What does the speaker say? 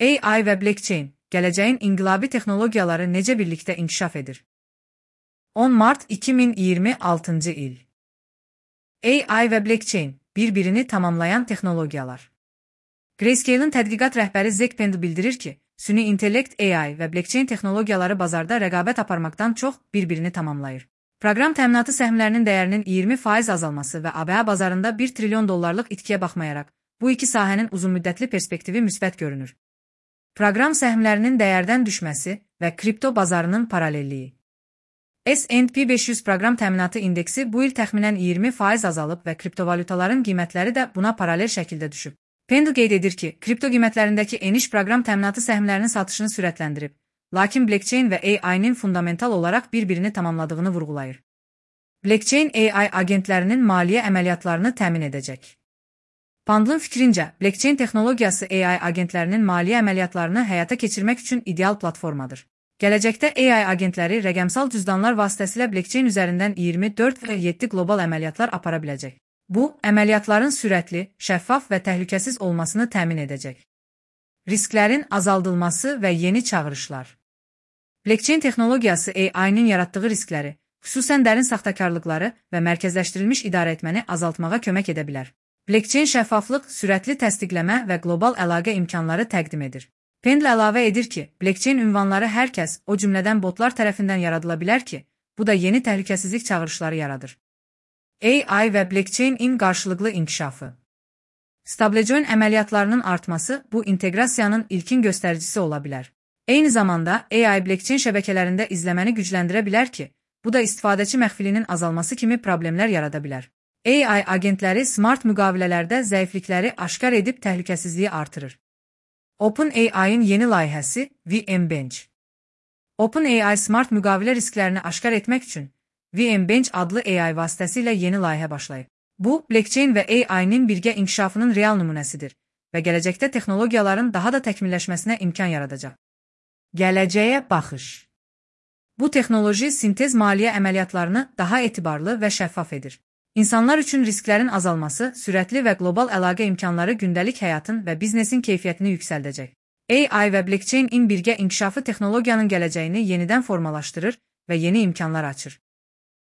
AI və blockchain, gələcəyin inqilabi texnologiyaları necə birlikdə inkişaf edir? 10 mart 2026-cı il. AI və blockchain, bir-birini tamamlayan texnologiyalar. Grayscale'ın tədqiqat rəhbəri Zach Pendle bildirir ki, süni intellekt AI və blockchain texnologiyaları bazarda rəqabət aparmaqdan çox bir-birini tamamlayır. Proqram təminatı səhmlərinin dəyərinin 20% azalması və ABŞ bazarında $1 trilyon itkiyə baxmayaraq, bu iki sahənin uzunmüddətli perspektivi müsbət görünür. Proqram səhmlərinin dəyərdən düşməsi və kripto bazarının paralelliyi. S&P 500 proqram təminatı indeksi bu il təxminən 20% azalıb və kriptovalutaların qiymətləri də buna paralel şəkildə düşüb. Pendle qeyd edir ki, kripto qiymətlərindəki eniş proqram təminatı səhmlərinin satışını sürətləndirib, lakin blockchain və AI-nin fundamental olaraq bir-birini tamamladığını vurğulayır. Blockchain AI agentlərinin maliyyə əməliyyatlarını təmin edəcək. Pendle'ın fikrincə, blockchain texnologiyası AI agentlərinin maliyyə əməliyyatlarını həyata keçirmək üçün ideal platformadır. Gələcəkdə AI agentləri rəqəmsal cüzdanlar vasitəsilə blockchain üzərindən 24 və 7 qlobal əməliyyatlar apara biləcək. Bu, əməliyyatların sürətli, şəffaf və təhlükəsiz olmasını təmin edəcək. Risklərin azaldılması və yeni çağırışlar. Blockchain texnologiyası AI-nin yaratdığı riskləri, xüsusən dərin saxtakarlıqları və mərkəzləşdirilmiş idarəetməni azaltmağa kömək edə bilər. Blockchain şəffaflıq, sürətli təsdiqləmə və qlobal əlaqə imkanları təqdim edir. Pendle əlavə edir ki, blockchain ünvanları hər kəs, o cümlədən botlar tərəfindən yaradıla bilər ki, bu da yeni təhlükəsizlik çağırışları yaradır. AI və blockchain-in qarşılıqlı inkişafı. Stablecoin əməliyyatlarının artması bu inteqrasiyanın ilkin göstəricisi ola bilər. Eyni zamanda AI blockchain şəbəkələrində izləməni gücləndirə bilər ki, bu da istifadəçi məxfilinin azalması kimi problemlər yarada bilər. AI agentləri smart müqavilələrdə zəiflikləri aşkar edib təhlükəsizliyi artırır. OpenAI-in yeni layihəsi VMBench. OpenAI smart müqavilə risklərini aşkar etmək üçün VMBench adlı AI vasitəsilə yeni layihə başlayıb. Bu, blockchain və AI-nin birgə inkişafının real nümunəsidir və gələcəkdə texnologiyaların daha da təkmilləşməsinə imkan yaradacaq. Gələcəyə baxış. Bu texnoloji sintez maliyyə əməliyyatlarını daha etibarlı və şəffaf edir. İnsanlar üçün risklərin azalması, sürətli və qlobal əlaqə imkanları gündəlik həyatın və biznesin keyfiyyətini yüksəldəcək. AI və blockchain-in birgə inkişafı texnologiyanın gələcəyini yenidən formalaşdırır və yeni imkanlar açır.